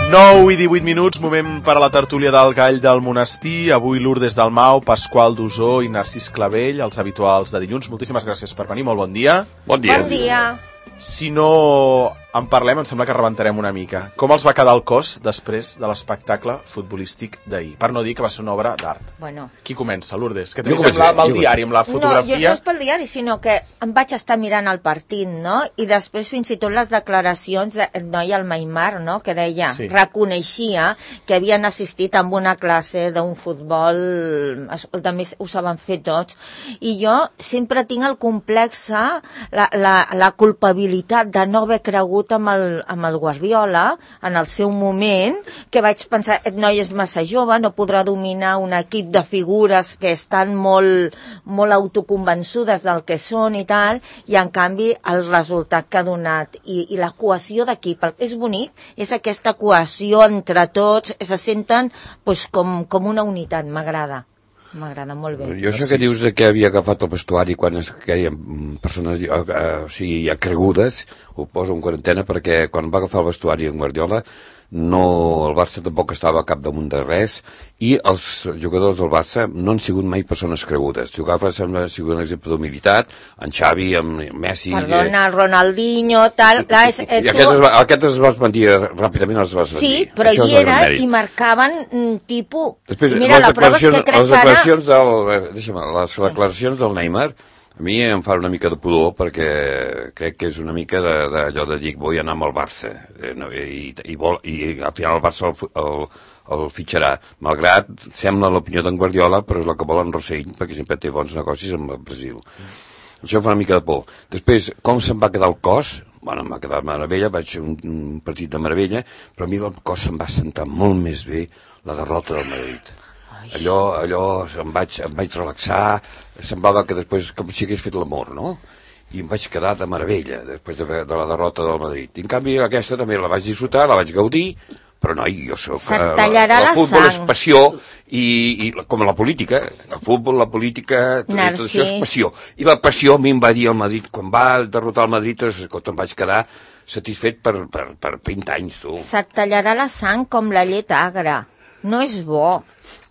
9 i 18 minuts, moment per a la tertúlia del Gall del Monestir. Avui Lourdes Dalmau, Pasqual Dusó i Narcís Clavell, els habituals de dilluns. Moltíssimes gràcies per venir, molt bon dia. Bon dia. Bon dia. Si no en parlem, em sembla que rebentarem una mica. Com els va quedar el cos després de l'espectacle futbolístic d'ahir? Per no dir que va ser una obra d'art. Bueno. Qui comença, Lourdes? Que t'hi sembla amb el diari, amb la fotografia? No, jo no és pel diari, sinó que em vaig estar mirant el partit, no? I després fins i tot les declaracions del noi al Maimar, no? Que deia, reconeixia que havien assistit a una classe d'un futbol, també ho saben fer tots, i jo sempre tinc el complex, la culpabilitat de no haver cregut amb el Guardiola en el seu moment, que vaig pensar, aquest noi és massa jove, no podrà dominar un equip de figures que estan molt autoconvençudes del que són i tal, i en canvi el resultat que ha donat i la cohesió d'equip, el que és bonic és aquesta cohesió entre tots, se senten com una unitat, m'agrada molt bé. Jo això que dius que havia agafat el vestuari quan es queien persones ja cregudes, ho poso en quarantena perquè quan va agafar el vestuari en Guardiola el Barça tampoc estava a capdamunt de res i els jugadors del Barça no han sigut mai persones cregudes. Tu agafes, ha sigut un exemple d'humilitat, en Xavi, amb Messi... Perdona, Ronaldinho, tal... I aquest es va esmentir ràpidament, els va esmentir. Sí, però hi era i marcaven tipus... Després, mira, la prova és que crec que ara... Les declaracions del Neymar a mi em fa una mica de pudor perquè crec que és una mica d'allò de dir vull anar amb el Barça i al final el Barça el fitxarà, malgrat sembla l'opinió d'en Guardiola, però és la que vol en Rossell perquè sempre té bons negocis amb el Brasil. Això em fa una mica de por. Després, com se'm va quedar el cos? Bueno, em va quedar meravella, vaig fer un partit de meravella, però a mi el cos se'm va sentar molt més bé la derrota del Madrid. Allò em vaig relaxar, semblava que després com si hagués fet l'amor, no? I em vaig quedar de meravella després de la derrota del Madrid. I en canvi aquesta també la vaig disfrutar, la vaig gaudir, però noi, jo soc... El futbol és passió i com la política, el futbol, la política, tot això és passió. I la passió a mi em va dir el Madrid, quan va derrotar el Madrid, em vaig quedar satisfet per 20 anys, tu. Se't tallarà la sang com la llet agra. No és bo.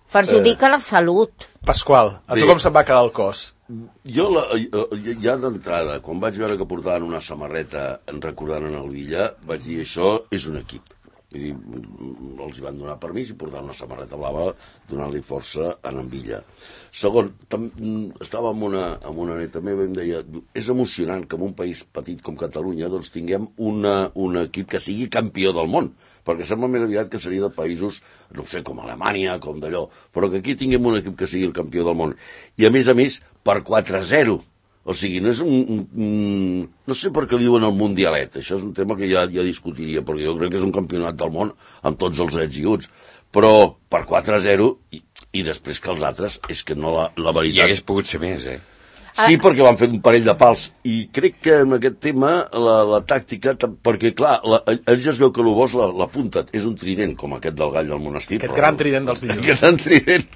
Perjudica la salut. Pasqual, a tu com se'n va quedar el cos? Jo, ja d'entrada, quan vaig veure que portaven una samarreta recordant en el Villa, vaig dir, això és un equip. Vull dir, els van donar permís i portar una samarreta blava donant-li força a en Villa. Segon, estava amb una neta meva i em deia, és emocionant que en un país petit com Catalunya doncs tinguem un equip que sigui campió del món, perquè sembla més aviat que seria de països, no sé, com Alemanya, com d'allò, però que aquí tinguem un equip que sigui el campió del món. I a més, per 4-0. O sigui, no és no sé per què li diuen el mundialet, això és un tema que ja discutiria, perquè jo crec que és un campionat del món amb tots els ets i uts, però per 4-0 i després que els altres, és que no la veritat... I hagués pogut ser més, Sí, perquè van fer un parell de pals, i crec que en aquest tema la tàctica, perquè clar, ells ja es veu que el bo és la punta, és un trident com aquest del Gall del Monestir. Aquest gran trident dels dilluns. Aquest gran trident,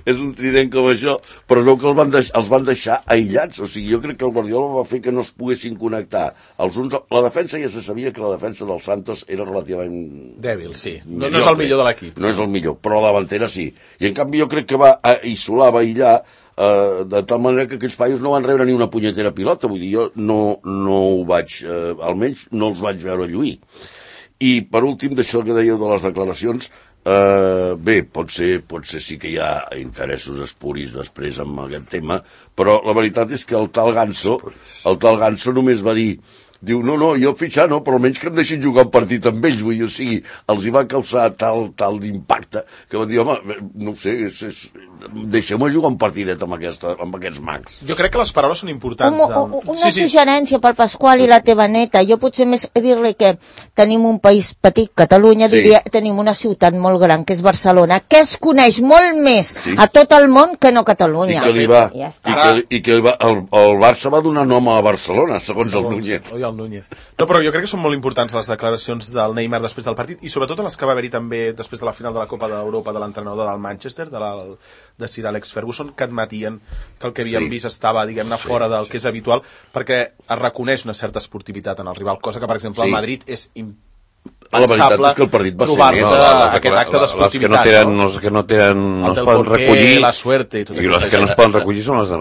és un trident com això, però es veu que els van deixar aïllats, o sigui, jo crec que el Guardiola va fer que no es poguessin connectar. La defensa ja se sabia que la defensa del Santos era relativament... dèbil, sí. No és el millor de l'equip. No és el millor, però la davantera sí. I en canvi jo crec que va isolar, va aïllar, de tal manera que aquells paios no van rebre ni una punyetera pilota, vull dir, jo no ho vaig, almenys no els vaig veure lluir. I per últim, d'això que dèieu de les declaracions, bé, pot ser sí que hi ha interessos espuris després amb aquest tema, però la veritat és que el tal Ganso només va dir, diu, no, jo fitxar no, però almenys que em deixin jugar un partit amb ells, vull dir, o sigui, els hi va causar tal d'impacte que van dir, home, no ho sé, deixem-me jugar un partidet amb aquests mags. Jo crec que les paraules són importants. Una suggerència pel Pasqual i la teva neta. Jo potser més dir-li que tenim un país petit, Catalunya, diria, tenim una ciutat molt gran, que és Barcelona, que es coneix molt més a tot el món que no Catalunya. I que el Barça va donar nom a Barcelona, segons el Núñez. Núñez. No, però jo crec que són molt importants les declaracions del Neymar després del partit, i sobretot les que va haver-hi també després de la final de la Copa d'Europa de l'entrenador del Manchester, de Sir Alex Ferguson, que admetien que el que havíem vist estava, diguem-ne, fora del que és habitual, perquè es reconeix una certa esportivitat en el rival, cosa que, per exemple, el Madrid és pensable trobar-se aquest acte d'esportivitat. Els que no es poden recollir, la suerte i tot i els que no es poden recollir són els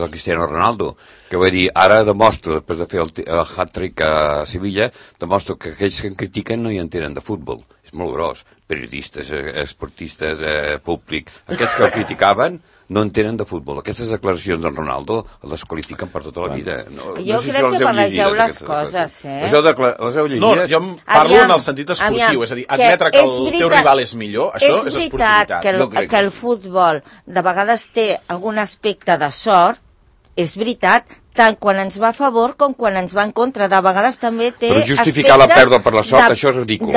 de Cristiano Ronaldo, que vull dir, ara demostro, després de fer el hat-trick a Sevilla, demostro que aquells que em critiquen no hi entenen de futbol. És molt gros. Periodistes, esportistes, públic. Aquests que el criticaven no entenen de futbol. Aquestes declaracions d'en Ronaldo el desqualifiquen per tota la vida. Jo crec que barregeu les coses, Les heu llegides? No, jo parlo en el sentit esportiu, és a dir, admetre que el teu rival és millor, això és esportivitat. És veritat que el futbol de vegades té algun aspecte de sort, és veritat, tant quan ens va a favor com quan ens va en contra. De vegades també té aspectes... Però justificar la pèrdua per la sort, això és ridícul.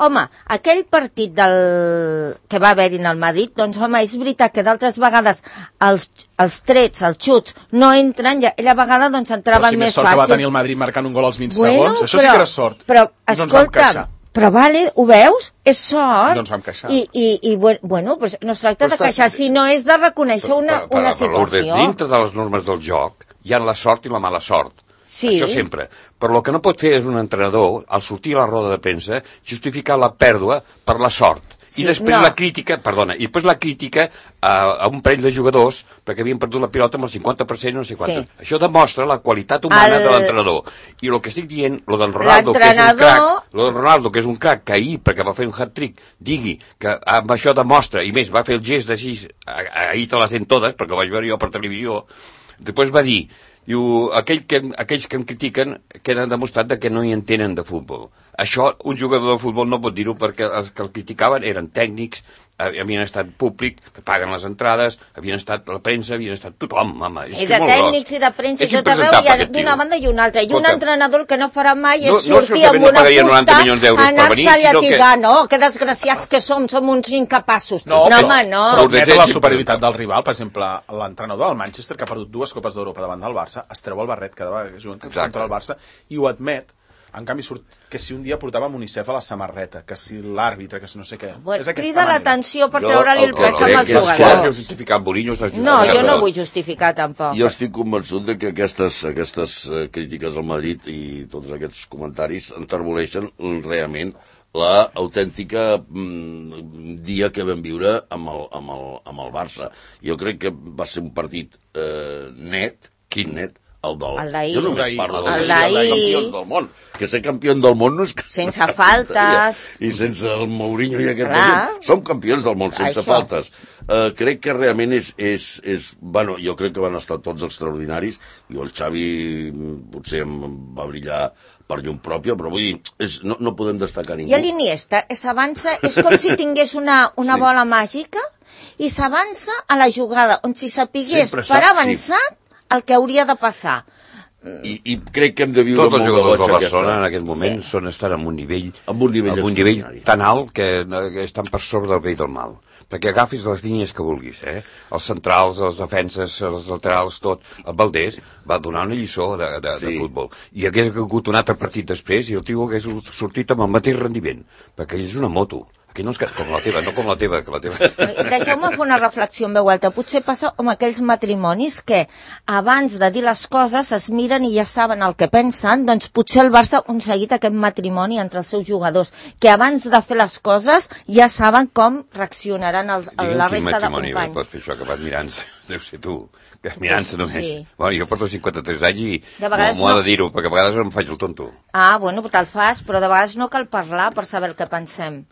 Home, aquell partit que va haver-hi en el Madrid, doncs home, és veritat que d'altres vegades els trets, els xuts, no entren, i a vegades doncs entraven més fàcil. Però si més sort que va tenir el Madrid marcant un gol als 20 segons, això sí que era sort. Però, escolta, però vale, ho veus? És sort. No ens vam queixar. I bueno, pues no es tracta de queixar, sinó és de reconèixer una situació. Dintre de les normes del joc hi ha la sort i la mala sort. Sí. Això sempre. Però el que no pot fer és un entrenador, al sortir a la roda de premsa, justificar la pèrdua per la sort. I després la crítica, a un parell de jugadors perquè havien perdut la pilota amb el 50% no sé quant. Sí. Això demostra la qualitat humana de l'entrenador. I el que estic dient, lo d'en Ronaldo, que és un crac, que ahir, perquè va fer un hat-trick, digui que amb això demostra, i més, va fer el gest d'així, ahir te les den totes, perquè ho vaig veure jo per televisió, després va dir, aquells que em critiquen queden demostrat que no hi entenen de futbol. Això un jugador de futbol no pot dir-ho perquè els que el criticaven eren tècnics, havien estat públic, que paguen les entrades, havien estat la premsa, havien estat tothom, home. I de tècnics i de premsa i tot arreu, i d'una banda i una altra. I un entrenador que no farà mai és sortir amb una fusta, anar-se a llatigar, no? Que desgraciats que som uns incapassos. No, home, no. Però admet la superioritat del rival, per exemple, l'entrenador del Manchester, que ha perdut 2 Copes d'Europa davant del Barça, es treu el barret cada vegada que juguen contra el Barça, i ho admet. En canvi, surt que si un dia portàvem UNICEF a la samarreta, que si l'àrbitre, que si no sé què... Crida l'atenció per treure-li el pes amb els jugadors. No, jo no vull justificar tampoc. Jo estic convençut de que aquestes crítiques al Madrid i tots aquests comentaris enterboleixen realment la autèntica dia que vam viure amb el Barça. Jo crec que va ser un partit net, net, el d'ahir. Jo només parlo de ser campions del món. Que ser campió del món no és... Sense faltes. I sense el Mourinho i aquesta gent. Som campions del món, sense faltes. Crec que realment és... Bueno, jo crec que van estar tots extraordinaris. I el Xavi potser va brillar per llum pròpia, però vull dir, no podem destacar ningú. I l'Iniesta s'avança, és com si tingués una bola màgica i s'avança a la jugada, on si sapigués per avançat el que hauria de passar. I crec que hem de viure tots els jugadors de Barcelona en aquest moment estan en un nivell tan alt que estan per sobre del bé i del mal, perquè agafis les línies que vulguis, els centrals, les defenses, els laterals, tot. El Valdés va donar una lliçó de futbol, i hagués hagut un altre partit després i el tio hagués sortit amb el mateix rendiment, perquè ell és una moto. Aquí no és com la teva, no com la teva, que la teva... Deixeu-me fer una reflexió en veu alta. Potser passa amb aquells matrimonis que abans de dir les coses es miren i ja saben el que pensen, doncs potser el Barça ha aconseguit aquest matrimoni entre els seus jugadors, que abans de fer les coses ja saben com reaccionaran la resta de companys. Quin matrimoni pot fer això, que vas mirant-se, deu ser tu, que mirant-se només. Sí. Bueno, jo porto 53 anys i m'ho ha de dir-ho, perquè a vegades em faig el tonto. Bueno, te'l fas, però de vegades no cal parlar per saber el que pensem.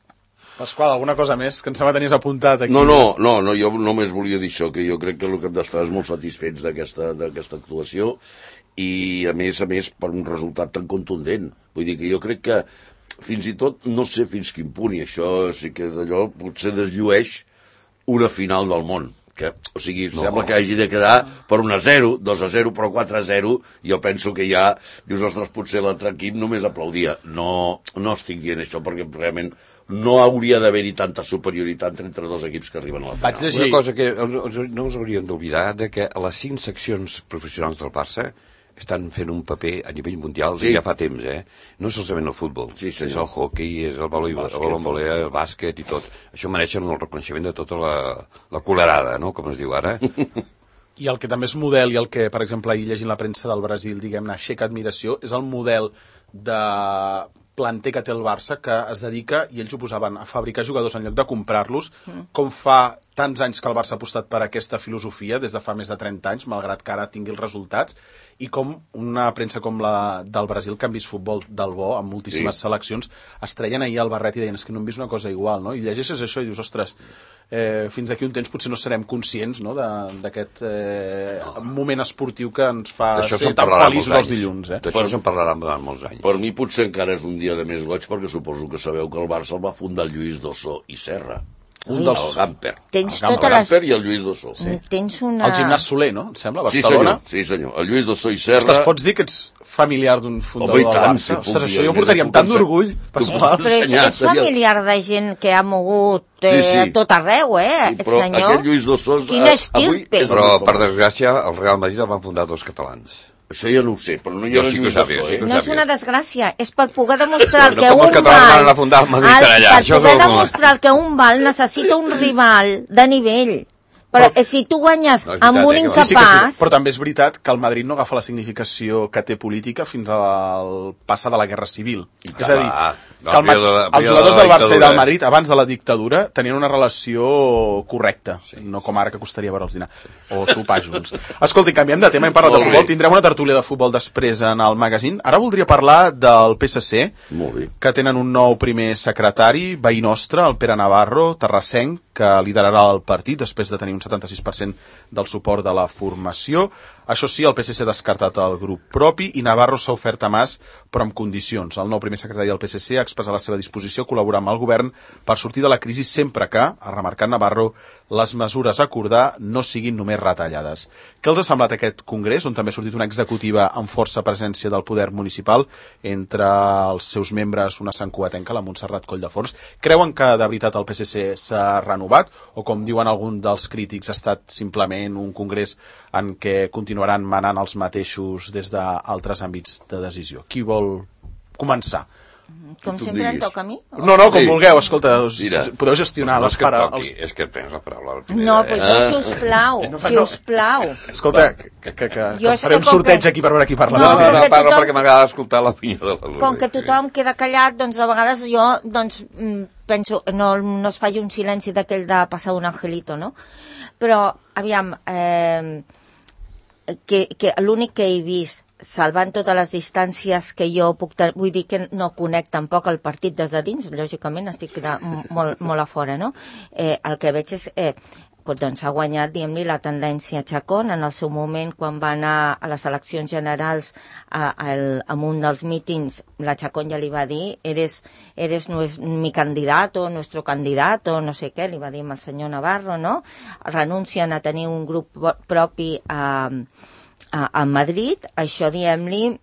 Pasqual, alguna cosa més que em sembla tenies apuntat aquí? No, jo només volia dir això, que jo crec que el que hem d'estar és molt satisfets d'aquesta actuació i, a més, per un resultat tan contundent. Vull dir que jo crec que, fins i tot, no sé fins quin punt, i això sí que d'allò potser desllueix una final del món. O sigui, sembla que hagi de quedar per 1-0, 2-0, però 4-0, jo penso que ja, dius, ostres, potser l'altre equip només aplaudia. No estic dient això, perquè realment no hauria d'haver-hi tanta superioritat entre dos equips que arriben a la final. Una cosa que no us hauríem d'oblidar, que a les 5 seccions professionals del Barça estan fent un paper a nivell mundial ja fa temps, No és solament el futbol, és el hoquei, és el voleibol, el bàsquet i tot. Això mereixen el reconeixement de tota la colerada, no?, com es diu ara. I el que també és model, i el que, per exemple, ahir llegint la premsa del Brasil, diguem-ne, aixeca admiració, és el model de planter que té el Barça, que es dedica, i ells ho posaven, a fabricar jugadors en lloc de comprar-los, com fa tants anys que el Barça ha apostat per aquesta filosofia, des de fa més de 30 anys, malgrat que ara tingui els resultats, i com una premsa com la del Brasil, que han vist futbol del bo, amb moltíssimes seleccions, es treien ahir al barret i deien, és que no hem vist una cosa igual, no? I llegeixes això i dius, ostres, fins d'aquí un temps potser no serem conscients, no?, d'aquest moment esportiu que ens fa ser tan feliços els dilluns. D'això se'n parlarà durant molts anys. Per mi potser encara és un dia de més goig, perquè suposo que sabeu que el Barça el va fundar el Lluís Dossó i Serra. El Gamper. Tens el Gamper i el Lluís Dossó. Tens una... El gimnàs Soler, no? Em sembla, a Barcelona. Sí, senyor. El Lluís Dossó i Serra... Ostres, pots dir que ets familiar d'un fundador del Barça? Ostres, això jo ho portaria amb tant d'orgull. Però és familiar de gent que ha mogut a tot arreu, aquest senyor. Aquest Lluís Dossó... Quin estirpe. Però, per desgràcia, el Real Madrid el van fundar 2 catalans. Això ja no ho sé, però no hi ha Lluís Dossó. No és una desgràcia, és per poder demostrar que un Val necessita un rival de nivell. Però si tu guanyes amb un incapaç... Però també és veritat que el Madrid no agafa la significació que té política fins al passar de la Guerra Civil. És a dir, que els jugadors del Barça i del Madrid, abans de la dictadura, tenien una relació correcta, no com ara que costaria veure'ls dinar, o sopar junts. Escolti, canviem de tema, hem parlat de futbol, tindrem una tertúlia de futbol després en el magazine. Ara voldria parlar del PSC, que tenen un nou primer secretari, veí nostre, el Pere Navarro, terrassenc, que liderarà el partit després de tenir un 76% del suport de la formació. Això sí, el PSC ha descartat el grup propi i Navarro s'ha ofert a Mas, però amb condicions. El nou primer secretari del PSC ha expressat la seva disposició a col·laborar amb el govern per sortir de la crisi sempre que, ha remarcat Navarro, les mesures a acordar no siguin només retallades. Què els ha semblat aquest congrés, on també ha sortit una executiva amb força presència del poder municipal, entre els seus membres una santcugatenca, la Montserrat Colldeforns? Creuen que de veritat el PSC s'ha renovat o, com diuen alguns dels crítics, ha estat simplement un congrés en què continuaran manant els mateixos des d'altres àmbits de decisió? Qui vol començar? Com sempre em toca a mi? No, com vulgueu, escolta, podeu gestionar les paraules. És que prens la paraula. No, però sisplau. Escolta, que farem sorteig aquí per veure qui parla. No, parlo perquè m'agrada escoltar l'opinió de l'alumne. Com que tothom queda callat, doncs de vegades jo penso, no es faci un silenci d'aquell de passar un angelito, no? Però, aviam, que l'únic que he vist, salvant totes les distàncies que jo puc tenir, vull dir que no conec tampoc el partit des de dins, lògicament estic molt a fora, no? El que veig és, doncs ha guanyat, diguem-li, la tendència Chacón en el seu moment, quan va anar a les eleccions generals en un dels mítings, la Chacón ja li va dir, eres mi candidato, nuestro candidato, no sé què, li va dir al senyor Navarro, no? Renuncien a tenir un grup propi a Madrid, això, diguem-li,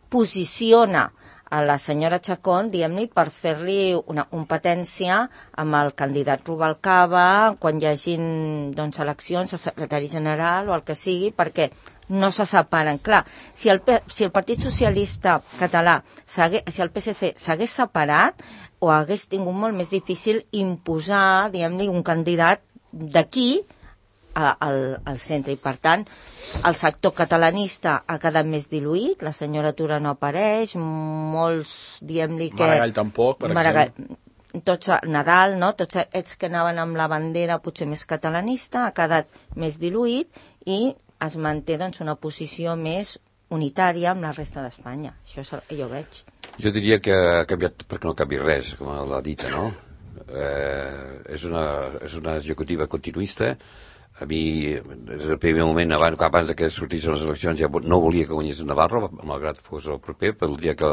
posiciona a la senyora Chacón, diguem-li, per fer-li una competència amb el candidat Rubalcaba quan hi hagin, doncs, eleccions a secretari general o el que sigui, perquè no se separen. Clar, si el Partit Socialista Català, si el PSC s'hagués separat, o hagués tingut molt més difícil imposar, diguem-li, un candidat d'aquí al centre, i per tant el sector catalanista ha quedat més diluït, la senyora Tura no apareix, molts, diguem-li que... Maragall tampoc, per exemple. Tots Nadal, no? Tots aquests que anaven amb la bandera potser més catalanista, ha quedat més diluït i es manté, doncs, una posició més unitària amb la resta d'Espanya. Això és el que jo veig. Jo diria que ha canviat perquè no canvi res, com l'ha dit, no? És una executiva continuista. A mi, des del primer moment, abans que sortissin les eleccions, ja no volia que guanyés Navarro, malgrat fos el proper, però el dia que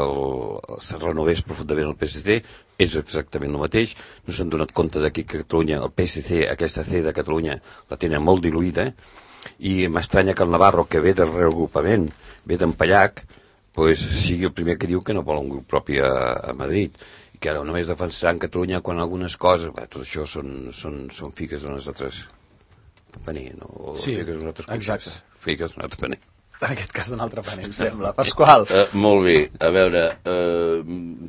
se renovés profundament el PSC, és exactament el mateix. No s'han donat compte que Catalunya, el PSC, aquesta C de Catalunya, la tenen molt diluïda, i m'estranya que el Navarro, que ve del reagrupament, ve d'en Pallac, sigui el primer que diu que no vol un grup propi a Madrid, i que ara només defensaran Catalunya quan algunes coses... Tot això són figues de nosaltres... paner, no? Sí, exacte. Figues d'un altre paner. En aquest cas d'un altre paner, em sembla. Pasqual. Molt bé. A veure,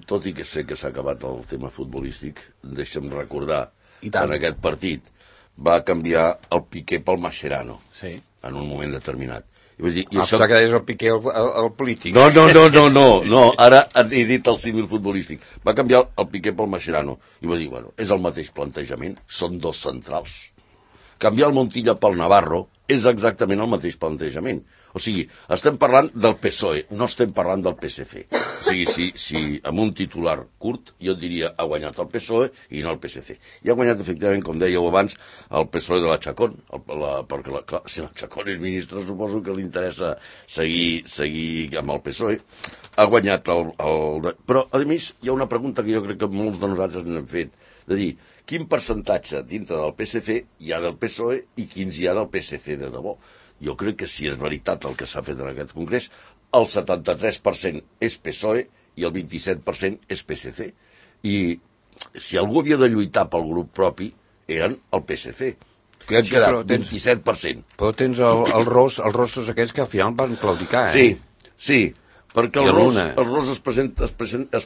tot i que sé que s'ha acabat el tema futbolístic, deixa'm recordar que en aquest partit va canviar el Piqué pel Mascherano, en un moment determinat. I vaig dir, això que és el Piqué el polític. No, ara he dit el símil futbolístic. Va canviar el Piqué pel Mascherano. I va dir, bueno, és el mateix plantejament, són dos centrals. Canviar el Montilla pel Navarro és exactament el mateix plantejament. O sigui, estem parlant del PSOE, no estem parlant del PSC. O sigui, si amb un titular curt, jo diria ha guanyat el PSOE i no el PSC. I ha guanyat, efectivament, com dèieu abans, el PSOE de la Chacón, perquè, clar, si la Chacón és ministre, suposo que li interessa seguir amb el PSOE. Ha guanyat Però, a més, hi ha una pregunta que jo crec que molts de nosaltres n'hem fet, de dir, quin percentatge dintre del PSC hi ha del PSOE i quins hi ha del PSC de debò? Jo crec que si és veritat el que s'ha fet en aquest congrés, el 73% és PSOE i el 27% és PSC. I si algú havia de lluitar pel grup propi, eren el PSC, que han quedat 27%. Però tens els rostos aquests que al final van claudicar, Sí, perquè el Ros es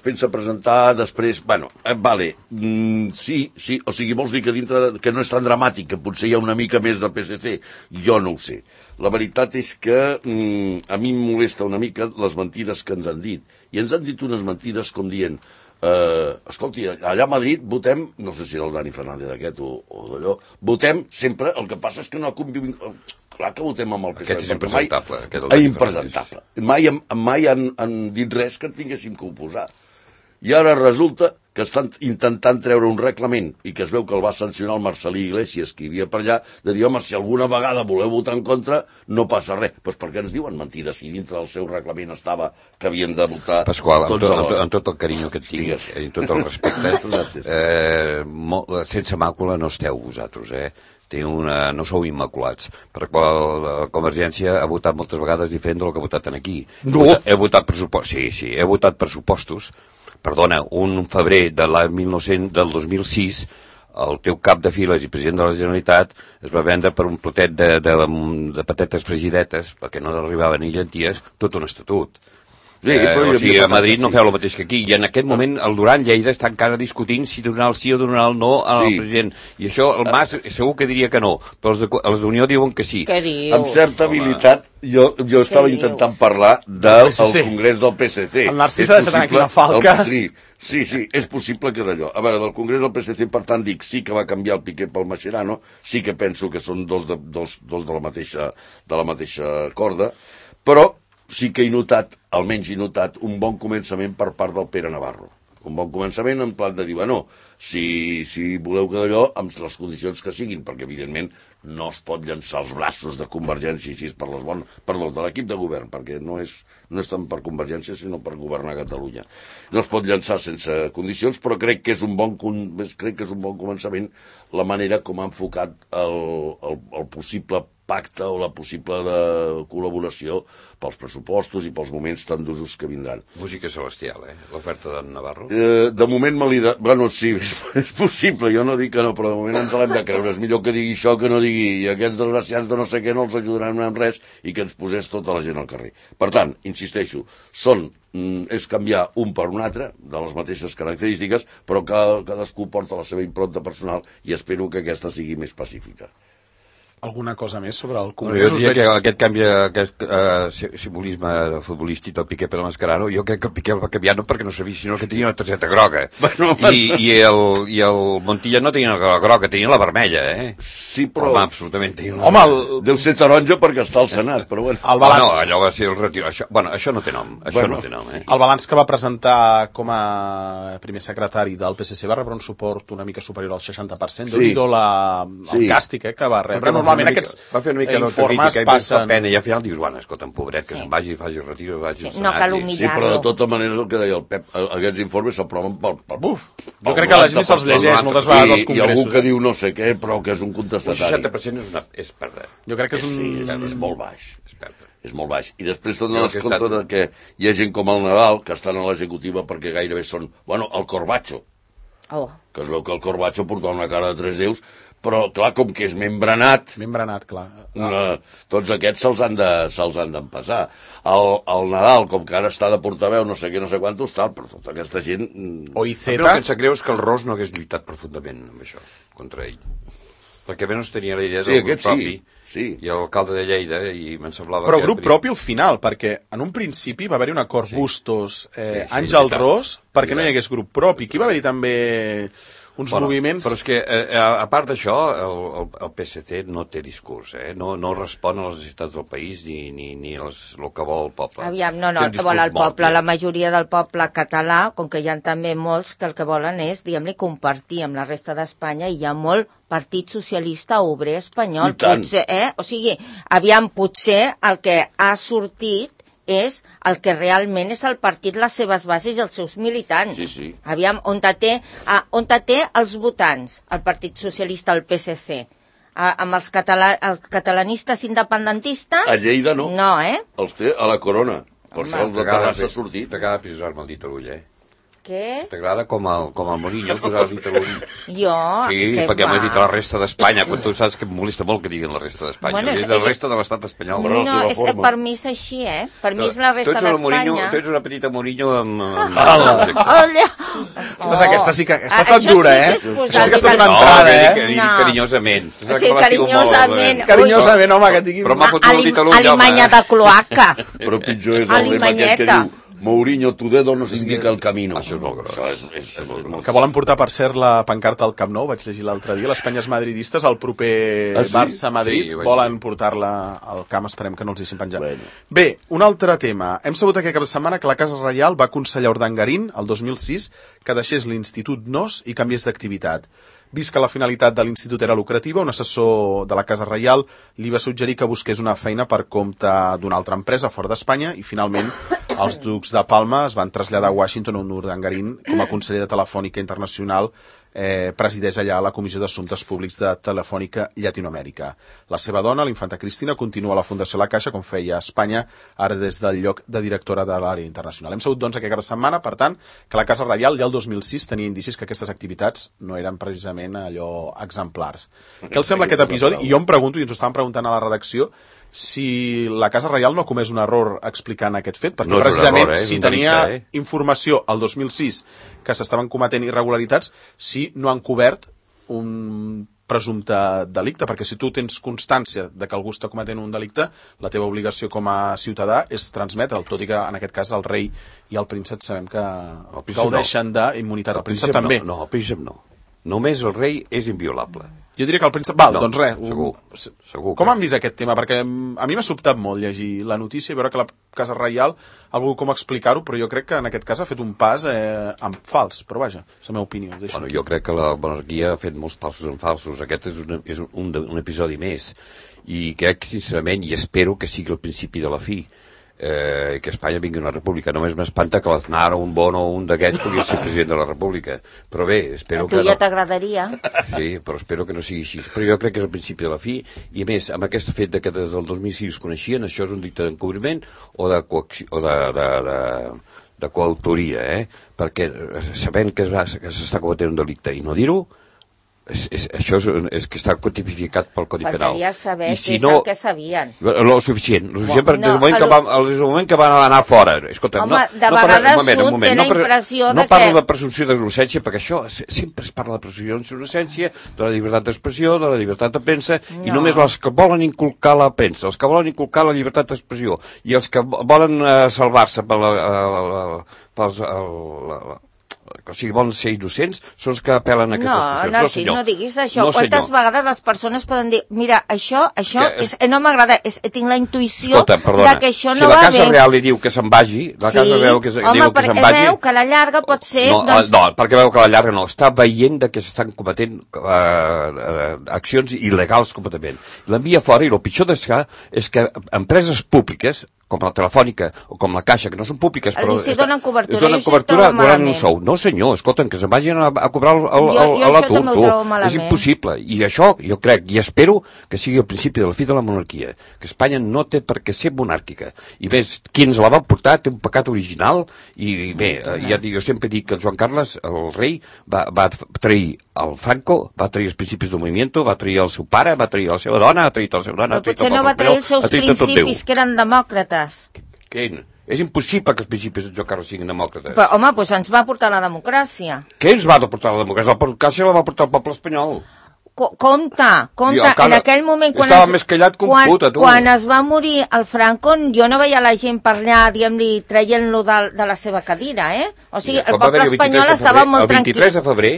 pensa presentar després... Bueno, sí, o sigui, vols dir que dintre que no és tan dramàtic, que potser hi ha una mica més del PSC? Jo no ho sé. La veritat és que a mi em molesta una mica les mentides que ens han dit. I ens han dit unes mentides com dient escolti, allà a Madrid votem, no sé si era el Dani Fernández aquest o d'allò, votem sempre, el que passa és que no convivim... Clar que votem amb el PSOE. Aquest és impresentable. Impresentable. Mai han dit res que en tinguéssim que oposar. I ara resulta que estan intentant treure un reglament i que es veu que el va sancionar el Marcelí Iglesias, que hi havia per allà, de dir, home, si alguna vegada voleu votar en contra, no passa res. Doncs per què ens diuen mentides si dintre del seu reglament estava que havien de votar... Pasqual, amb tot el carinyo que et tinc, i tot el respecte, sense màcula no esteu vosaltres, no sou immaculats, perquè la Convergència ha votat moltes vegades diferent del que ha votat aquí. No. He votat pressupostos, sí, he votat pressupostos. Perdona, un febrer del 2006, el teu cap de files i president de la Generalitat es va vendre per un platet de patates fregidetes, perquè no arribaven ni llenties, tot un estatut. O sigui, a Madrid no feu el mateix que aquí, i en aquest moment el Duran Lleida està encara discutint si donar el sí o donar el no al president, i això el Mas segur que diria que no, però els d'Unió diuen que sí. Què dius? Amb certa habilitat, jo estava intentant parlar del Congrés del PSC. El Narcís ha deixat aquí la falca. Sí, és possible que d'allò. A veure, del Congrés del PSC, per tant, dic, sí que va canviar el Piqué pel Mascherano, sí que penso que són dos de la mateixa corda, però sí que he notat, almenys he notat, un bon començament per part del Pere Navarro. Un bon començament en plan de dir, bueno, si voleu que d'allò, amb les condicions que siguin, perquè evidentment no es pot llançar els braços de Convergència així per les bones, perdó, de l'equip de govern, perquè no és tant per Convergència, sinó per governar Catalunya. No es pot llançar sense condicions, però crec que és un bon començament la manera com ha enfocat el possible pacte o la possible col·laboració pels pressupostos i pels moments tan d'usos que vindran. Música celestial, l'oferta d'en Navarro? De moment me l'he de... Bueno, sí, és possible, jo no dic que no, però de moment ens l'hem de creure. És millor que digui això que no digui i aquests desgraciats de no sé què no els ajudaran en res i que ens posés tota la gent al carrer. Per tant, insisteixo, és canviar un per un altre, de les mateixes característiques, però cadascú porta la seva impronta personal i espero que aquesta sigui més pacífica. Alguna cosa més sobre el Congrés? Jo diria que aquest canvi, aquest simbolisme futbolístic del Piqué per la Mascherano, jo crec que el Piqué el va canviar no perquè no sabia, sinó que tenia una targeta groga. I el Montilla no tenia la groga, tenia la vermella, Sí, però... Home, absolutament tenia la... Home, deu ser taronja perquè està al Senat, però bueno. El balanç... No, allò va ser el retir... Això no té nom, no té nom, El balanç que va presentar com a primer secretari del PSC va rebre un suport una mica superior al 60%. Déu-n'hi-do el càstig que va rebre. Normalment aquests informes passen... Pena, i al final dius, bueno, escolta'm, pobret, que se'n vagi, faci el retiro, vagi al Senat. No cal humillar-lo. Sí, però de tota manera el que deia el Pep, aquests informes s'aproven pel buf. Jo crec que la gent se'ls llegeix moltes vegades als congressos. I algú que diu no sé què, però que és un contestatari. Un 60% és perdre. Jo crec que és un... Sí, és molt baix. És molt baix. I després te'n dones compte que hi ha gent com el Nadal, que estan a l'executiva perquè gairebé són... Bueno, el Corbacho. Que es veu que el Corbacho porta una cara de tres déus, però, clar, com que és membranat, clar. Tots aquests se'ls han d'empassar. El Nadal, com que ara està de portaveu, no sé què, no sé quantos, tal, però tota aquesta gent... El que em sap greu és que el Ros no hagués lluitat profundament amb això, contra ell. Perquè almenys tenia la idea del grup propi. i l'alcalde de Lleida, i me'n semblava... Però grup propi al final, perquè en un principi va haver-hi un acord Bustos, Àngel Ros, perquè no hi hagués grup propi. Aquí va haver-hi també uns moviments... Però és que, a part d'això, el PSC no té discurs, no respon a les necessitats del país ni el que vol el poble. Aviam, no, el que vol el poble, la majoria del poble català, com que hi ha també molts que el que volen és, diguem-li, compartir amb la resta d'Espanya, i hi ha molt Partit Socialista Obrer Espanyol. Potser, o sigui, aviam, potser el que ha sortit és el que realment és el partit, les seves bases i els seus militants. Aviam, on té els votants, el Partit Socialista, el PSC? Amb els catalanistes independentistes? A Lleida no. No, Els té a la Corona. Per això el de Terrassa ha sortit. T'agrada pisar-me el dit a l'ull, Què? T'agrada com el Mourinho posar el dit a l'ull? Jo? Sí, perquè m'ha dit a la resta d'Espanya, quan tu saps que em molesta molt que diguin la resta d'Espanya. Bueno, és la resta de l'estat espanyol. No, és que per mi és així, Per mi és la resta d'Espanya. Tu ets una petita Mourinho amb... Aquesta sí que està estat dura, Això sí que ha estat una entrada, Dic carinyosament. Sí, carinyosament. Carinyosament, home, que et diguin... Però m'ha fotut el dit a l'ull, Alimanya de cloaca. Però pitjor és el lema aquest que diu Mourinho, tu dedo nos indica el camino. Això és molt gros. Que volen portar, per cert, la pancarta al Camp Nou, vaig llegir l'altre dia, les penyes madridistes, al proper Barça-Madrid, volen portar-la al camp, esperem que no els deixin penjar. Bé, un altre tema. Hem sabut aquest cap de setmana que la Casa Reial va aconsellar a Urdangarín, el 2006, que deixés l'Institut Nos i canviés d'activitat. Vist que la finalitat de l'institut era lucrativa, un assessor de la Casa Reial li va suggerir que busqués una feina per compte d'una altra empresa fora d'Espanya i finalment els ducs de Palma es van traslladar a Washington on Urdangarín, com a conseller de Telefònica Internacional, presideix allà la Comissió d'Assumptes Públics de Telefònica Llatinoamèrica. La seva dona, l'infanta Cristina, continua a la Fundació La Caixa, com feia a Espanya, ara des del lloc de directora de l'àrea internacional. Hem sabut, doncs, aquest cap de setmana, per tant, que la Casa Reial ja el 2006 tenia indicis que aquestes activitats no eren precisament allò exemplars. Què els sembla aquest episodi? I jo em pregunto, i ens ho estàvem preguntant a la redacció, si la Casa Reial no ha comès un error explicant aquest fet, perquè precisament si tenia informació al 2006 que s'estaven cometent irregularitats, si no han cobert un presumpte delicte, perquè si tu tens constància de que algú està cometent un delicte, la teva obligació com a ciutadà és transmetre'l, tot i que en aquest cas el rei i el príncep sabem que gaudeixen d'immunitat. El príncep també. No, el príncep no. Només el rei és inviolable. Jo diria que el príncep... Val, doncs res. Segur. Com han vist aquest tema? Perquè a mi m'ha sobtat molt llegir la notícia i veure que la Casa Reial ha volgut com explicar-ho, però jo crec que en aquest cas ha fet un pas en fals. Però vaja, és la meva opinió. Bueno, jo crec que la monarquia ha fet molts passos en falsos. Aquest és un episodi més. I crec, sincerament, i espero que sigui el principi de la fi, que Espanya vingui una república. Només m'espanta que l'Aznar o un Bon o un d'aquests pugui ser president de la república. Però bé, espero que... A tu ja t'agradaria. Sí, però espero que no sigui així. Però jo crec que és el principi de la fi, i a més, amb aquest fet que des del 2006 coneixien, això és un delicte d'encobriment o de coautoria, perquè sabent que s'està cometent un delicte i no dir-ho, això és que està tipificat pel Codi Penal. Faltaria saber què és el que sabien. Lo suficient des del moment que van anar fora. Escolta, home, de vegades surt té la impressió de que... No parlo de presumpció d'innocència, perquè això sempre es parla de presumpció d'innocència, de la llibertat d'expressió, de la llibertat de premsa, i només els que volen inculcar la premsa, els que volen inculcar la llibertat d'expressió, i els que volen salvar-se o sigui, volen ser innocents, són els que apel·len a aquestes qüestions. No diguis això. Quantes vegades les persones poden dir, mira, això no m'agrada, tinc la intuïció de que això no va bé. Si la Casa Real li diu que se'n vagi, la Casa Real diu que se'n vagi... Home, perquè veu que a la llarga pot ser... No, perquè veu que a la llarga no. Està veient que s'estan cometent accions il·legals completament. L'envia fora, i el pitjor d'això és que empreses públiques, com la Telefònica o com la Caixa, que no són públiques, però... Si donen cobertura, donen un sou. No, senyor, escolta'm, que se'n vagin a cobrar l'atur, tu. És impossible. I això, jo crec, i espero que sigui el principi de la fi de la monarquia, que Espanya no té per què ser monàrquica. I més, qui ens la va portar té un pecat original, i bé, jo sempre dic que el Joan Carles, el rei, va trair el Franco, va trair els principis del movimiento, va trair el seu pare, va trair la seva dona, ha traït la seva dona... Però potser no va trair els seus principis, que eren demòcrates. Què? És impossible que els principis de Joan Carles siguin demòcrates. Però, home, doncs ens va portar la democràcia. Què ens va portar la democràcia? La democràcia la va portar el poble espanyol. compte, en aquell moment... Estava més callat que un puta, tu. Quan es va morir el Franco, jo no veia la gent per allà, diguem-li, traient-lo de la seva cadira, O sigui, el poble espanyol estava molt tranquil. El 23 de febrer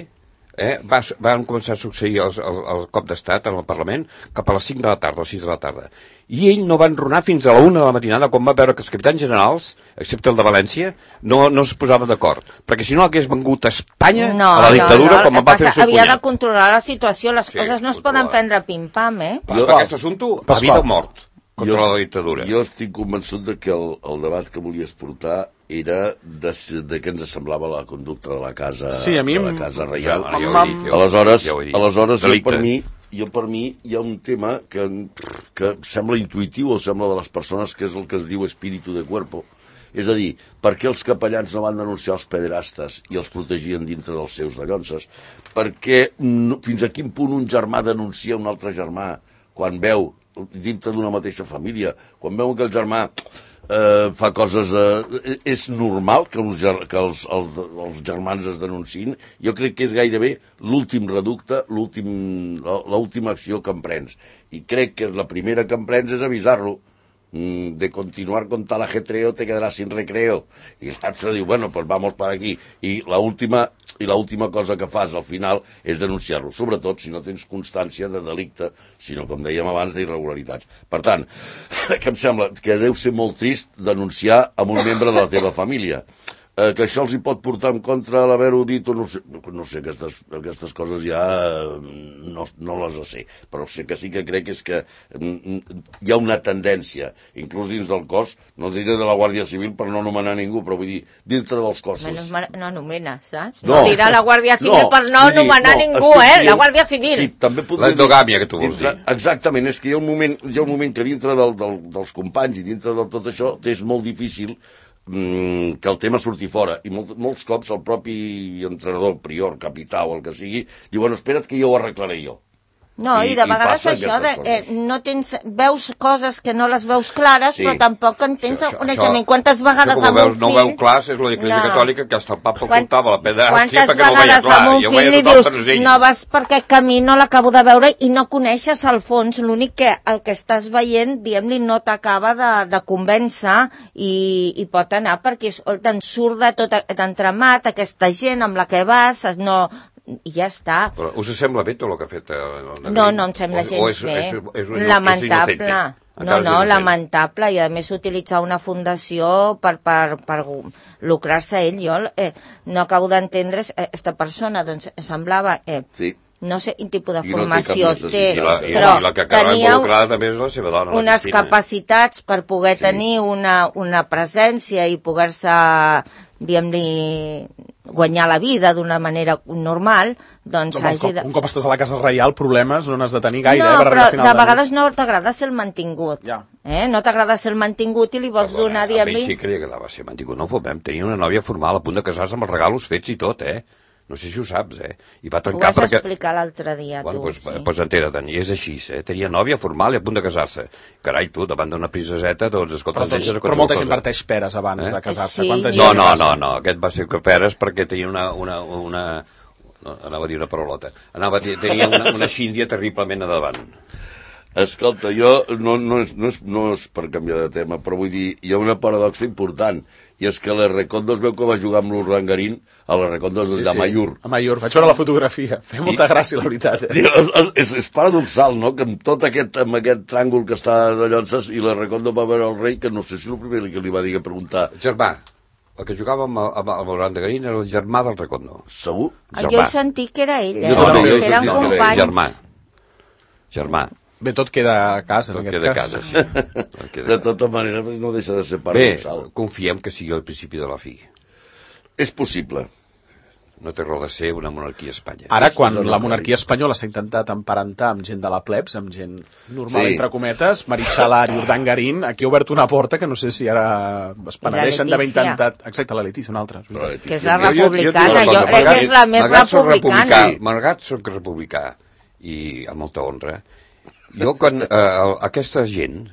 van començar a succeir el cop d'estat en el Parlament cap a les 5 de la tarda o 6 de la tarda. I ell no va enronar fins a la 1 de la matinada quan va veure que els capitans generals, excepte el de València, no es posaven d'acord. Perquè si no hagués vengut a Espanya a la dictadura com va fer el seu cunyat. Havia de controlar la situació, les coses no es poden prendre pim-pam, Però aquest assumpte, a vida o mort, contra la dictadura. Jo estic convençut de que el debat que volies portar era de què ens semblava la conducta de la casa, de la casa reial. Aleshores, jo per mi hi ha un tema que sembla intuïtiu o sembla de les persones, que és el que es diu espíritu de cuerpo. És a dir, per què els capellans no van denunciar els pederastes i els protegien dintre dels seus dallonses? Per què fins a quin punt un germà denuncia un altre germà quan veu dintre d'una mateixa família, quan veu que el germà fa coses... és normal que els germans es denunciïn? Jo crec que és gairebé l'últim reducte, l'última acció que emprens. I crec que la primera que emprens és avisar-lo. De continuar con tal ajetreo te quedarás sin recreo. I l'altre diu, bueno, pues vamos para aquí. I l'última cosa que fas al final és denunciar-lo, sobretot si no tens constància de delicte, sinó, com dèiem abans, d'irregularitats. Per tant, que em sembla que deu ser molt trist denunciar a un membre de la teva família. Que això els hi pot portar en contra l'haver-ho dit o no sé, aquestes coses ja no les sé, però sé que sí que crec és que hi ha una tendència, inclús dins del cos, no diré de la Guàrdia Civil per no anomenar ningú, però vull dir, dintre dels cossos. No anomena, saps? No dirà la Guàrdia Civil per no anomenar ningú, la Guàrdia Civil. Sí, també l'endogàmia que tu vols dir. Exactament, és que hi ha un moment que dintre dels companys i dintre de tot això és molt difícil que el tema surti fora, i molts cops el propi entrenador, prior, capità o el que sigui, diu, bueno, espera't que jo ho arreglaré jo. No, i de vegades això, no tens, veus coses que no les veus clares, però tampoc en tens el coneixement. Quantes vegades amb un fill... No veu clar, és l'Església Catòlica que hasta el papa ocultava la pedàstia perquè no veia clar. Quantes vegades amb un fill li dius, no vas per aquest camí, no l'acabo de veure, i no coneixes al fons, l'únic que el que estàs veient, diguem-li, no t'acaba de convèncer i pot anar perquè te'n surt de tot d'entremat, aquesta gent amb la que vas, no... i ja està. Però us sembla bé tot el que ha fet? No em sembla gens bé. Lamentable. No, lamentable. I a més utilitzar una fundació per lucrar-se ell. Jo no acabo d'entendre aquesta persona, doncs semblava... No sé quin tipus de formació té, però tenia unes capacitats per poder tenir una presència i poder-se, diguem-li, guanyar la vida d'una manera normal, doncs un cop estàs a la casa reial, problemes no n'has de tenir gaire, per arribar a final de vegades no t'agrada ser el mantingut. No t'agrada ser el mantingut i li vols donar, diguem-li... A mi sí que li agradava ser mantingut. No fomem, tenia una nòvia formal a punt de casar-se amb els regalos fets i tot, No sé si ho saps, I va trencar perquè... Ho vas explicar l'altre dia, tu. Doncs entera-te'n, i és així, Tenia nòvia formal i a punt de casar-se. Carai, tu, davant d'una princeseta, doncs, escolta... Però molta gent parteix peres abans de casar-se. No, aquest va ser peres perquè tenia anava a dir una parolota. Tenia una xíndia terriblement a davant. Escolta, jo no és per canviar de tema, però vull dir, hi ha una paradoxa important, i és que l'Errekondo es veu que va jugar amb l'Urdangarín a l'Errekondo de Amaiur. Amaiur, vaig veure la fotografia, feia molta gràcia, la veritat. És paradoxal, no?, que amb tot aquest tràngol que està de Llonses i l'Errekondo va veure el rei, que no sé si el primer que li va dir que preguntar... Germà, el que jugava amb l'Urdangarín era el germà del Recondo. Segur? Jo he sentit que era ell, que eren companys. Germà. Bé, tot queda a casa, en aquest cas. Sí. De tota manera, no deixa de ser paradoxal. Bé, confiem que sigui el principi de la fi. És possible. No té raó de ser una monarquia a Espanya. Ara, quan la monarquia espanyola s'ha intentat emparentar amb gent de la plebs, amb gent normal, entre cometes, Meritxalar i Urdangarín, aquí ha obert una porta que no sé si ara es penedeixen d'haver intentat... Exacte, la Letícia, una altra. Que és la republicana, jo crec que és la més republicana. Malgrat soc republicà, i amb molta honra, jo, quan aquesta gent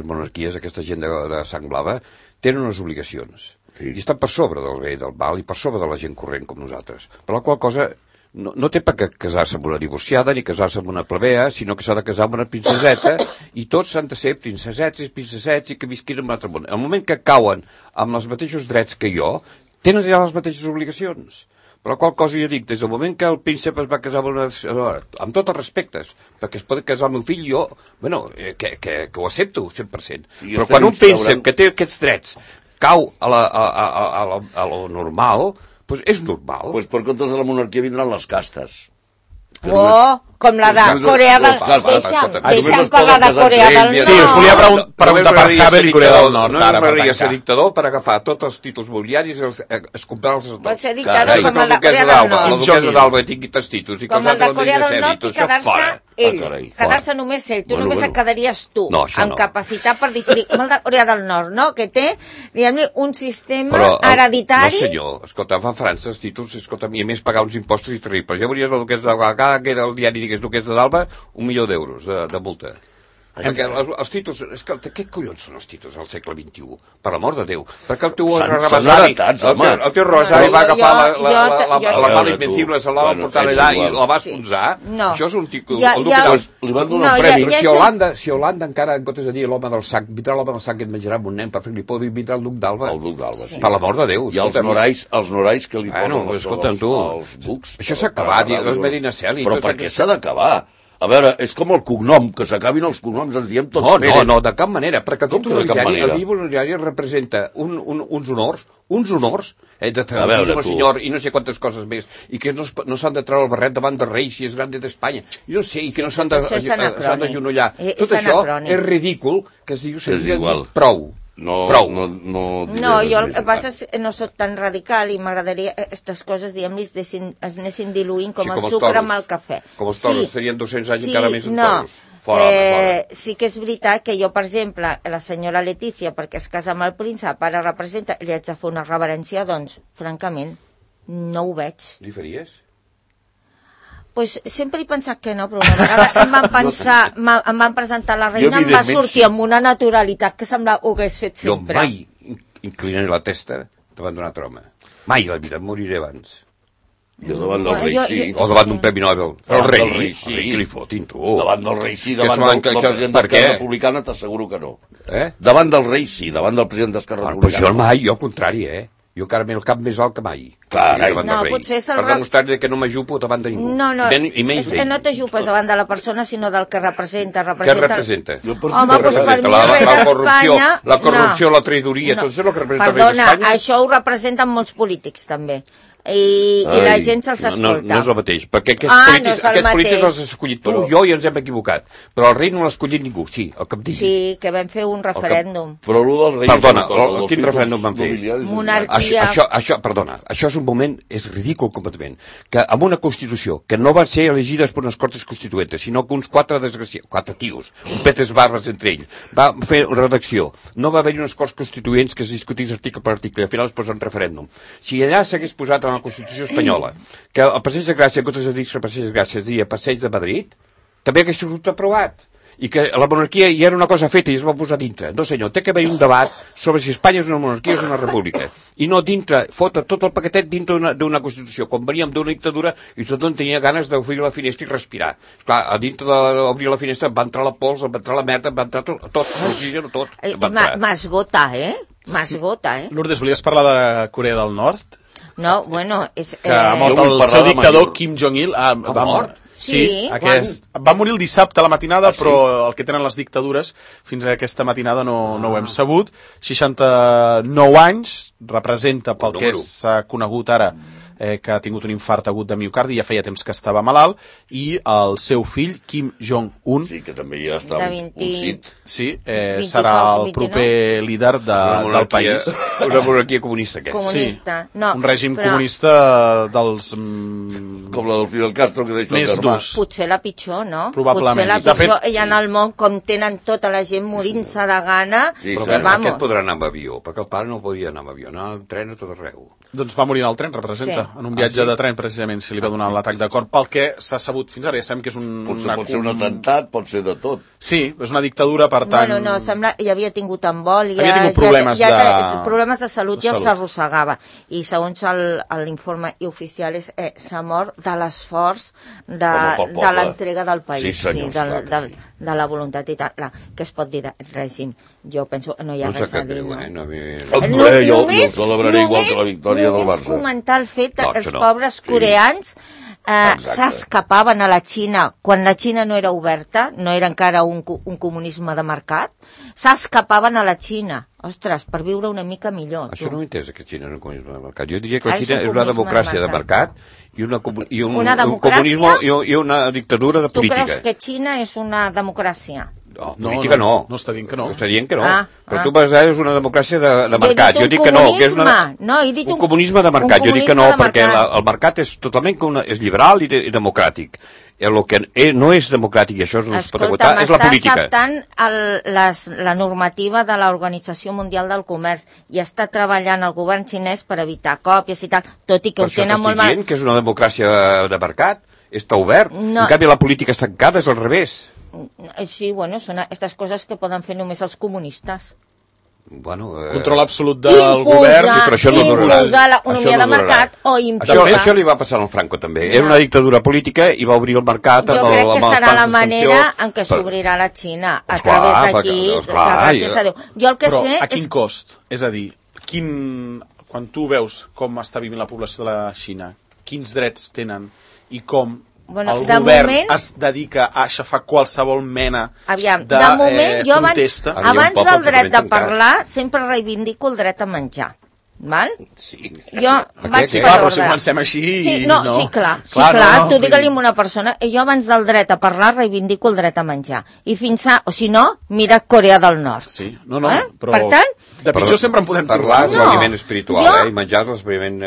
monarquies, aquesta gent de sang blava, tenen unes obligacions. I estan per sobre del bé i del mal i per sobre de la gent corrent com nosaltres. Per la qual cosa no té per què casar-se amb una divorciada ni casar-se amb una plebea, sinó que s'ha de casar amb una princeseta i tots s'han de ser princesets i que visquin en un altre món. En el moment que cauen amb els mateixos drets que jo, tenen ja les mateixes obligacions. Per la qual cosa jo dic, des del moment que el príncep es va casar amb tots els respectes, perquè es pot casar el meu fill, jo, bueno, que ho accepto 100%. Sí, però quan un príncep que té aquests drets cau a lo normal, doncs és normal. Doncs per comptes de la monarquia vindran les castes. Com la de Corea del Nord. Deixa'm parlar de Corea del Nord. Sí, us volia preguntar per Havel i Corea del Nord. No m'agradaria ser dictador per agafar tots els títols mobiliaris i comprar-los a tots. Va ser dictador com el de Corea del Nord. La duquesa d'Alba tingui tants títols. Com el de Corea del Nord i quedar-se ell. Quedar-se només ell. Tu només et quedaries tu, amb capacitat per decidir. Com el de Corea del Nord, no? Que té, diguem-ne, un sistema hereditari. No, senyor. Escolta, fa França els títols, escolta, i a més pagar uns impostos terribles. Ja veuries la duquesa d'Alba, que era el diari digués duquesa d'Alba, 1 milió d'euros de multa. Perquè els títols, què collons són els títols al segle XXI? Per l'amor de Déu. Perquè el teu rosari va agafar la mala invencible, se la va portar allà i la va esponjar. Això és un títol. Li van donar un premi. Si Holanda encara, en comptes de dir l'home del sac, vindrà l'home del sac que et menjarà amb un nen per fer-li por, vindrà el duc d'Alba. El duc d'Alba, sí. Per l'amor de Déu. I els norais que li posen els bucs. Això s'ha acabat, les Medina Celi. Però per què s'ha d'acabar? A veure, és com el cognom, que s'acabin els cognoms, ens diem tots Pérez. No, de cap manera, perquè el títol nobiliari representa uns honors, de tenir un senyor i no sé quantes coses més, i que no s'han de treure el barret davant del rei si és grande d'Espanya, i no sé, i que no s'han d'agenollar. Tot això és ridícul, que es diu prou. No, jo el que passa és que no soc tan radical i m'agradaria aquestes coses, diguem-li, es anessin diluint com el sucre amb el cafè. Com els toros, serien 200 anys encara més en toros. Fora. Sí que és veritat que jo, per exemple, la senyora Letícia, perquè es casa amb el príncep, ara representa, li haig de fer una reverència, doncs, francament, no ho veig. Li faries? Pues sempre he pensat que no, però una vegada em van presentar la reina, em va sortir amb una naturalitat que semblava ho hagués fet sempre. Jo mai inclinaré la testa davant d'un altre home. Mai a la vida, em moriré abans. Jo davant del rei, sí. O davant d'un premi Nobel. Però el rei, sí. Què li fotin, tu? Davant del rei, sí. Davant del president d'Esquerra Republicana t'asseguro que no. Davant del rei, sí. Davant del president d'Esquerra Republicana. Però jo mai, jo al contrari, Jo encara m'he el cap més alt que mai. Clar, potser és el... Per demostrar que no m'ajupo davant de ningú. No, és que no t'ajupes davant de la persona, sinó del que representa. Què representa? Home, doncs per mi el rei d'Espanya... La corrupció, la traïdoria, tot això és el que representa el rei d'Espanya. Perdona, això ho representen molts polítics, també. I la gent se'ls escolta. No és el mateix, perquè aquests polítics els has escollit tu, jo i ens hem equivocat. Però el rei no l'ha escollit ningú, sí, el que em digui. Sí, que vam fer un referèndum. Però el del rei... Perdona, quin referèndum vam fer? Monarquia... Perdona, això és un moment, és ridícul completament, que amb una Constitució, que no van ser elegides per unes Cortes Constituentes, sinó que uns quatre tios, un petes barbes entre ells, va fer una redacció, no va haver-hi unes Corts Constituents que es discutís article per article, al final es posa un referèndum. Si allà s'hagués posat la Constitució espanyola, que el Passeig de Gràcia, en comptes de dir Passeig de Gràcia, es deia Passeig de Madrid, també hagués sigut aprovat. I que la monarquia ja era una cosa feta i es va posar dintre. No senyor, té que haver un debat sobre si Espanya és una monarquia o és una república. I no dintre, fotre tot el paquetet dintre d'una Constitució. Quan veníem d'una dictadura i tothom tenia ganes d'obrir la finestra i respirar. Clar, a dintre d'obrir la finestra va entrar la pols, va entrar la merda, va entrar tot, l'oxigen, tot. M'esgota, M'esgota, Lourdes, volies parlar de Corea del Nord? No, bueno, és... Que ha mort el seu dictador Kim Jong-il. Va mort? Sí, va morir el dissabte a la matinada, però el que tenen les dictadures fins a aquesta matinada no ho hem sabut. 69 anys, representa pel que és conegut ara, que ha tingut un infart agut de miocardi, ja feia temps que estava malalt, i el seu fill, Kim Jong-un, sí, que també ja està pulsit. Sí, serà el proper líder del país. Una monarquia comunista, aquesta. Comunista. Sí, un règim comunista dels... Com la del Fidel Castro, que deixa el germà. Potser la pitjor, no? Probablement. Potser la pitjor, i en el món, com tenen tota la gent morint-se de gana... Sí, però aquest podrà anar amb avió, perquè el pare no podia anar amb avió, anar amb tren a tot arreu. Doncs va morir en el tren, representa, en un viatge de tren, precisament, si li va donar l'atac de cor. Pel que s'ha sabut fins ara, ja sabem que és pot ser un atemptat, pot ser de tot. Sí, és una dictadura, per tant... Bueno, no, sembla que ja havia tingut embol, havia tingut problemes de salut i els arrossegava. I segons l'informe oficial s'ha mort de l'esforç de l'entrega del país, de la voluntat i tal, que es pot dir de règim. Jo penso que no hi ha res a dir. Només comentar el fet que els pobres coreans s'escapaven a la Xina quan la Xina no era oberta, no era encara un comunisme de mercat, s'escapaven a la Xina, ostres, per viure una mica millor. Això no ho he entès, que Xina és un comunisme de mercat. Jo diria que la Xina és una democràcia de mercat i un comunisme i una dictadura de política. Tu creus que Xina és una democràcia? No, política no. No està dient que no. Està dient que no. Però tu vas dir és una democràcia de mercat. Jo dic que no, que és un comunisme de mercat. Jo dic que no, perquè el mercat és totalment és liberal i democràtic. El que no és democràtic, i això no es pot agotar, és la política. Està acceptant la normativa de l'Organització Mundial del Comerç i està treballant el govern xinès per evitar còpies i tal, tot i que ho tenen molt mal. Per això t'estic dient que és una democràcia de mercat, està obert. En canvi la política està tancada, és al revés. Sí, bueno, són aquestes coses que poden fer només els comunistes. Control absolut del govern, però això no durarà. Imposar l'economia de mercat o imposar... Això li va passar al Franco també. Era una dictadura política i va obrir el mercat amb el Jo crec que serà la manera en què s'obrirà la Xina, a través d'aquí, gràcies a Déu. Però a quin cost? És a dir, quan tu veus com està vivint la població de la Xina, quins drets tenen i com el govern es dedica a aixafar qualsevol mena de protesta. Abans del dret de parlar, sempre reivindico el dret a menjar. Val? Sí. Jo vaig per ordre. Si comencem així... Sí, clar. Tu digue-li a una persona, jo abans del dret a parlar reivindico el dret a menjar. I fins a... O si no, mira Corea del Nord. Sí, no, però... Per tant... De pitjor sempre en podem parlar. Parlar és l'aliment espiritual, i menjar és l'aliment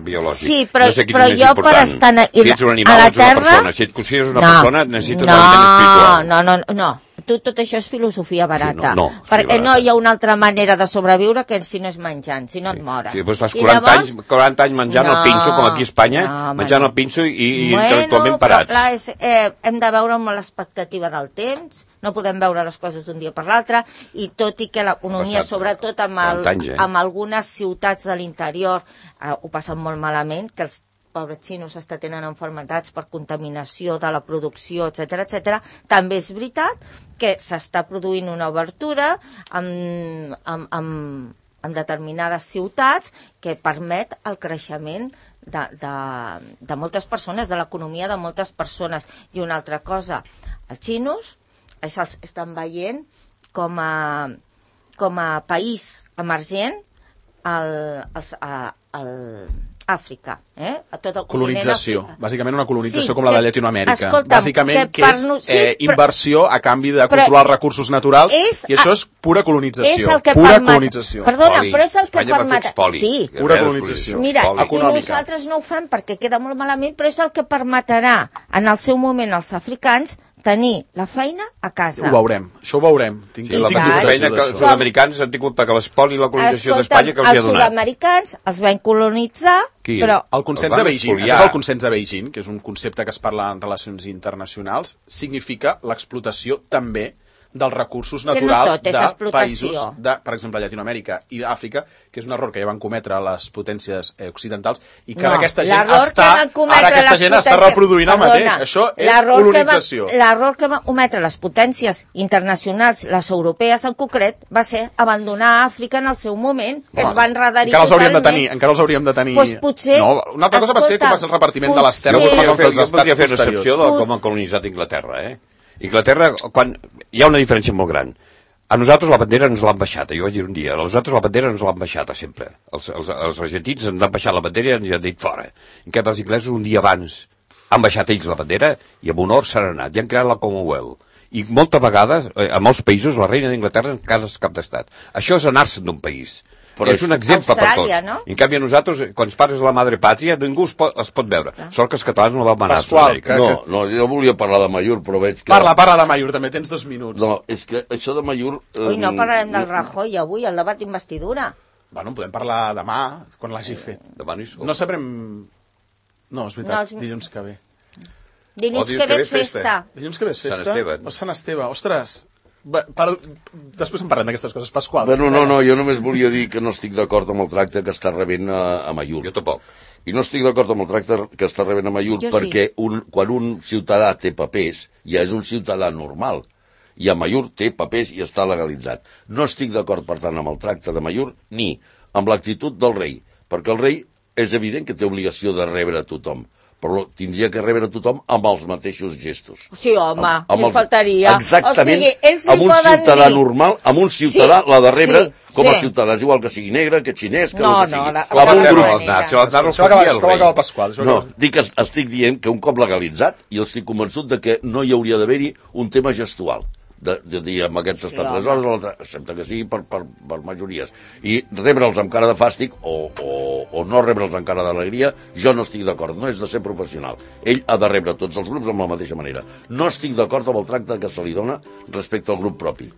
biològic. Sí, però jo per estar a la Terra... Si et consideres una persona, necessites l'aliment espiritual. No. Tot això és filosofia barata. Perquè no hi ha una altra manera de sobreviure que si no és menjant, si no et mores. Sí, doncs fas 40 anys menjant el pinso, com aquí a Espanya, menjant el pinso i intel·lectualment parats. Però clar, hem de veure amb l'expectativa del temps, no podem veure les coses d'un dia per l'altre, i tot i que l'economia, sobretot amb algunes ciutats de l'interior, ho passen molt malament, que els pobres xinos tenen malalties per contaminació de la producció, etc. També és veritat que s'està produint una obertura en determinades ciutats que permet el creixement de moltes persones, de l'economia de moltes persones. I una altra cosa, els xinos estan veient com a país emergent Àfrica, a tot el colonització, bàsicament una colonització com la de Llatinoamèrica. Bàsicament que és inversió a canvi de controlar els recursos naturals, i això és pura colonització. Perdona, però és el que permet... Sí, pura colonització. Mira, i nosaltres no ho fem perquè queda molt malament, però és el que permetrà en el seu moment als africans tenir la feina a casa. Ho veurem, això ho veurem. La feina que els sud-americans han tingut perquè l'espoli i la colonització d'Espanya que els hi ha donat. Els sud-americans els van colonitzar, però... El consens de Beijing, això és el consens de Beijing, que és un concepte que es parla en relacions internacionals, significa l'explotació també dels recursos naturals de països, per exemple, Llatinoamèrica i Àfrica, que és un error que ja van cometre les potències occidentals i que ara aquesta gent està reproduint el mateix. Això és colonització. L'error que van cometre les potències internacionals, les europees en concret, va ser abandonar Àfrica en el seu moment, que es van rederivar totalment. Encara els hauríem de tenir... Una altra cosa va ser com va ser el repartiment de les terres com van fer els estats posteriors. Una excepció de com han colonitzat Inglaterra, Inglaterra, quan hi ha una diferència molt gran. A nosaltres la bandera ens l'han baixat, jo vaig dir un dia, a nosaltres la bandera ens l'han baixat sempre. Els argentins ens han baixat la bandera i ens han dit fora. En canvi, els inglesos un dia abans han baixat ells la bandera i amb honor s'han anat, i han creat la Commonwealth. I moltes vegades, a molts països, la reina d'Inglaterra encara és cap d'estat. Això és anar-se'n d'un país. Però és un exemple per tots. No? En canvi, a nosaltres, quan ens parles de la madre pàtria, ningú es pot veure. Sort que els catalans no la van anar a Sud-amèrica. No, jo volia parlar de Mayur, però veig que... Parla de Mayur, també tens 2 minuts. No, és que això de Mayur... Ui, no parlarem del Rajoy avui, el debat d'investidura. Bueno, podem parlar demà, quan l'hagi fet. Demà no hi som. No sabrem... No, és veritat, dilluns que ve. Dilluns que ve és festa. Dilluns que ve és festa? Sant Esteve. O Sant Esteve, ostres. Després en parlem d'aquestes coses. Pasqual. Bueno, no, jo només volia dir que no estic d'acord amb el tracte que està rebent a Mallur. Jo tampoc. I no estic d'acord amb el tracte que està rebent a Mallur perquè quan un ciutadà té papers ja és un ciutadà normal. I a Mallur té papers i està legalitzat. No estic d'acord, per tant, amb el tracte de Mallur ni amb l'actitud del rei, perquè el rei és evident que té obligació de rebre a tothom, però tindria que rebre a tothom amb els mateixos gestos. Sí, home, li faltaria. Exactament, amb un ciutadà normal, amb un ciutadà l'ha de rebre com a ciutadà, és igual que sigui negre, que xinès, que no sigui. Això va acabar el Pasqual. No, estic dient que un cop legalitzat, i estic convençut de que no hi hauria d'haver-hi un tema gestual. De dir amb aquests estats hores, excepte que sigui per majories. I rebre'ls amb cara de fàstic o no rebre'ls amb cara d'alegria, jo no estic d'acord, no és de ser professional. Ell ha de rebre tots els grups amb la mateixa manera. No estic d'acord amb el tracte que se li dona respecte al grup propi.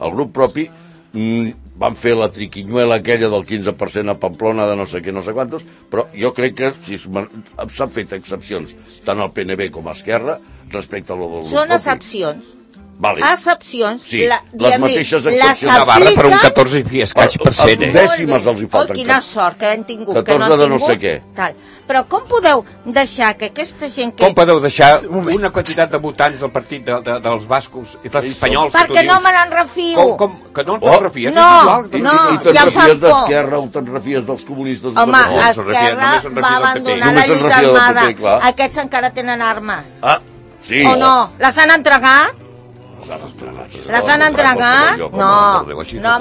El grup propi van fer la triquinyuela aquella del 15% a Pamplona de no sé què, no sé quantos, però jo crec que s'han fet excepcions tant al PNB com a Esquerra respecte al grup propi. Són excepcions. Vale. Excepcions. Sí, les mateixes excepcions. Navarra per un 14 i escaig per cent, dècimes els hi falten. Quina sort que hem tingut. 14 de no sé què. Però com podeu deixar que aquesta gent que... Com podeu deixar una quantitat de votants del partit dels bascos i dels espanyols? Perquè no me n'en refio. Que no te'n refies? No, i te'n refies d'Esquerra o te'n refies dels comunistes? Home, Esquerra va abandonar la lluita armada. Aquests encara tenen armes. Ah, sí. O no? Les han entregat? Les han entregat? No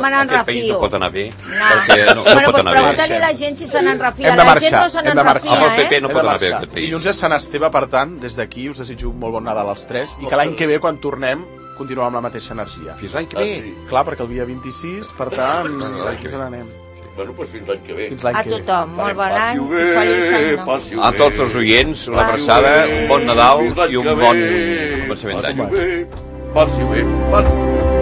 me n'en refio. Aquest país no pot anar bé. Bueno, doncs pregunta-li a la gent si se n'en refia. La gent no se n'en refia, el PP no pot anar bé aquest país. Dilluns és Sant Esteve, per tant, des d'aquí us desitjo molt bon Nadal als tres i que l'any que ve, quan tornem, continuem amb la mateixa energia. Fins l'any que ve? Clar, perquè el dia 26, per tant, ens n'anem. Bueno, doncs fins l'any que ve. A tothom, molt bon any i feliç any nou. A tots els oients, una abraçada, un bon Nadal i un bon començament d'any. Passi bé, passi.